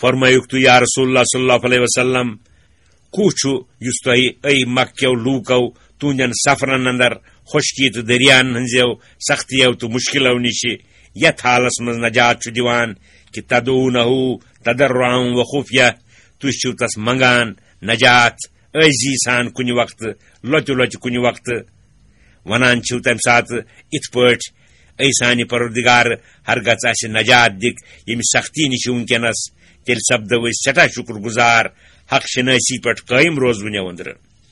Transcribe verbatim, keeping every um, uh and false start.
فرمٲیُکھ تُہۍ، یا رسول اللہ صلی اللہ علیہ وسلم، کُس چھُ یُس تۄہہِ أے مکہ کیو لوٗکو تُہنٛدٮ۪ن سفرن اندر خۄشکی تہٕ دٔریاہن ہٕنٛزیو سختیو تہٕ مُشکلو نِشہِ یتھ حالس منٛز نجات چھُ دِوان کہِ تدعونہ تضرعا و خفیہ، تُہۍ چھِو تس منگان نجات عٲجزی سان کُنہِ وقتہٕ، لۄتہِ لۄتہِ کُنہِ وقتہٕ، ونان چھِو تمہِ ساتہٕ یِتھ پٲٹھۍ، اے سانہِ پروردگار، ہرگژھ اسہِ نجات دِکھ ییٚمہِ سختی نِش وٕنکیٚنس، تیٚلہِ سپدو أسۍ سٮ۪ٹھاہ شُکر گُزار، حق شنٲسی پٮ۪ٹھ قٲیِم روزوٕنیو أنٛدرٕ۔